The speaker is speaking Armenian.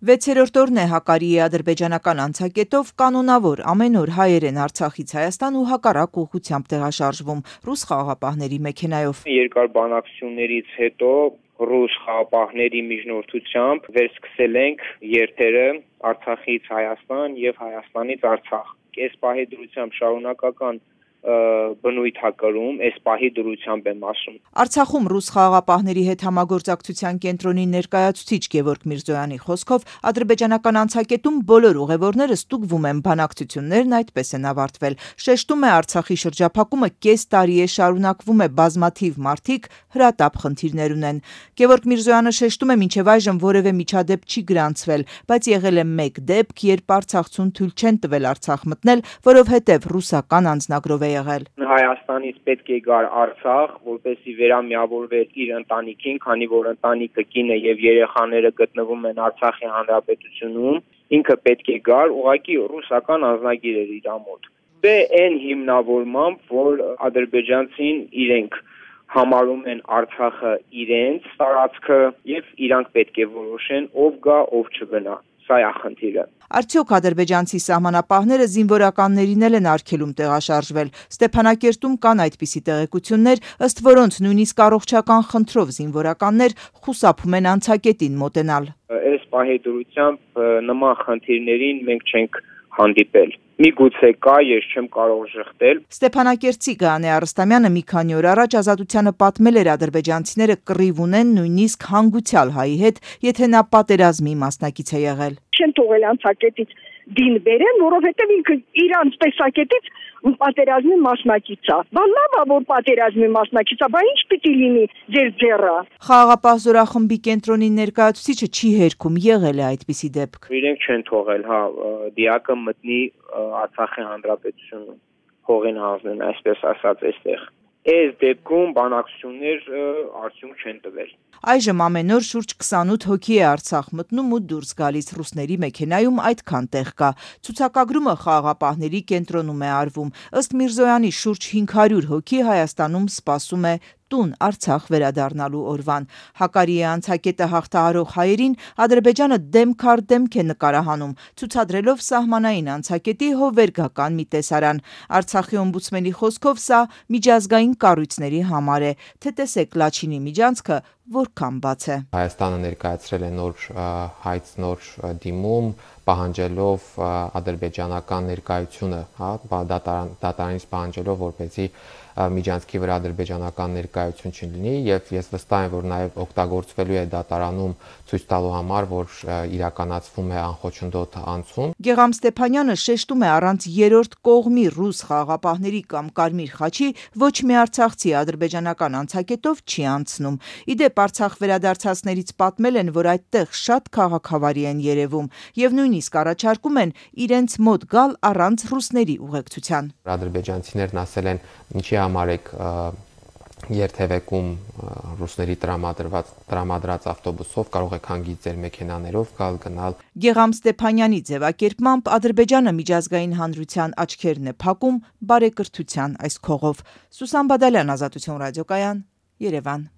6-րդ օրն է Հակարիի ադրբեջանական անցակետով կանոնավոր ամեն օր հայեր են Արցախից Հայաստան ու հակառակ ուղղությամբ տեղաշարժվում ռուս խաղաղապահների մեքենայով։ Երկար բանակցություններից հետո ռուս խաղաղապահների միջնորդությամբ վերսկսել ենք երթերը Արցախից Հայաստան եւ Հայաստանից Արցախ։ Այս պահի դրությամբ շարունակական բնույթ կրում, այս պահի դրությամբ եմ ասում։ Արցախում ռուս խաղաղապահների հետ համագործակցության կենտրոնի ներկայացուցիչ Գևորգ Միրզոյանի խոսքով ադրբեջանական անցակետում բոլոր ուղևորները ստուգվում են, բանակցություններն այդպես են ավարտվել։ Շեշտում է Արցախի շրջափակումը կես տարի է շարունակվում է, բազմաթիվ մարդիկ հրատապ խնդիրներ ունեն։ Գևորգ Միրզոյանը շեշտում է, մինչև այժմ որևէ միջադեպ չի գրանցվել, բայց եղել է մեկ դեպք, երբ արցախցուն թույլ չեն տվել Արցախ մտնել, որովհետև ռուսական անձնագրով եղել։ Հայաստանից պետք է գար Արցախ, որպեսզի վերամիավորվեր իր ընտանիքին, քանի որ ընտանիքը կինը եւ երեխաները գտնվում են Արցախի հանրապետությունում, ինքը պետք է գար, ուղղակի ռուսական անձնագիր էր իր մոտ։ Դե այն հիմնավորմամբ, որ ադրբեջանցին իրենք համարում են Արցախը իրենց տարածքը եւ իրանք պետք է որոշեն ով գա, ով չգնա։ Սա է խնդիրը։ Արդյոք ադրբեջանցի սահմանապահները զինվորականներին են արգելում տեղաշարժվել։ Ստեփանակերտում կան այդպիսի տեղեկություններ, ըստ որոնց նույնիսկ առողջական խնդրով զինվորականներ խուսափում են անցակետին մոտենալ։ Այս պահի դրությամբ նման խնդիրներին մենք չենք հանդիպել։ Միգուցե կա, ես չեմ կարող ժխտել։ Ստեփանակերտցի Գայանե Արստամյանը մի քանի օր առաջ Ազատությանը պատմել էր ադրբեջանցիները կռիվ ունեն նույնիսկ հանգուցյալ հայի հետ, եթե նա պատերազմի մասնակից է եղել։ Չեն թողել անցակետից դին բերեն, որովհետև ինքը իրանց տեսակետից պատերազմի մասնակից է։ Բան լավ է, որ պատերազմի մասնակից է, բայց ինչ պիտի լինի ձեր ձեռը։ Խաղաղապահ զորախմբի կենտրոնի ներկայացուցիչը չի հերքում, եղել է այդպիսի դեպք։ Իրենք չեն թողել, դիակը մտնի Արցախի հանրապետությունում, հողին հանձնեն, այսպես ասած, այստեղ։ Այս դեպքում բանակցություններ արդյունք չեն տվել։ Այժմ ամեն օր շուրջ 28 հոգի է Արցախ մտնում ու դուրս գալիս, ռուսների մեքենայում այդքան տեղ կա։ Ցուցակագրումը խաղաղապահների կենտրոնում է արվում։ Ըստ Միրզոյանի շուրջ 500 հոգի Հայաստանում սպասում է տուն Արցախ վերադառնալու օրվան։ Հակարիի անցակետը հաղթահարող հայերին Ադրբեջանը դեմք առ դեմք է նկարահանում, ցուցադրելով սահմանային անցակետի հովվերգական մի տեսարան։ Արցախի օմբուդսմենի խոսքով սա միջազգային կառույցների համար է, թե տեսեք Լաչինի միջանցքը որքան բաց է։ Հայաստանը ներկայացրել է նոր դիմում, պահանջելով ադրբեջանական ներկայությունը, դատարանից պահանջելով, որպեսզի միջանցքի վրա ադրբեջանական ներկայություն չլինի, եւ ես վստահ եմ, որ նաեւ օգտագործվելու է դատարանում ցույց տալու համար, որ իրականացվում է անխոչնդոտ անցում։ Գեգամ Ստեփանյանը շեշտում է, առանց երրորդ կողմի ռուս խաղաղապահների կամ Կարմիր խաչի ոչ մի արցախցի ադրբեջանական անցակետով չի անցնում։ Իդեպ Արցախ վերադարձածներից պատմել են, որ այդտեղ շատ քաղաքավարի են երևում եւ նույնիսկ առաջարկում են իրենց մոտ գալ առանց ռուսների ուղեկցության։ Ադրբեջանցիներն ասել են, ինչի համար եք երթևեկում ռուսների տրամադրած ավտոբուսով, կարող եք հանգիստ ձեր մեքենաներով գալ։ Գեգամ Ստեփանյանի ձևակերպմամբ Ադրբեջանը միջազգային հանրության աչքերն է փակում բարեկրթության այս քողով։ Սուսան Բադալյան, Ազատություն ռադիոկայան, Երևան։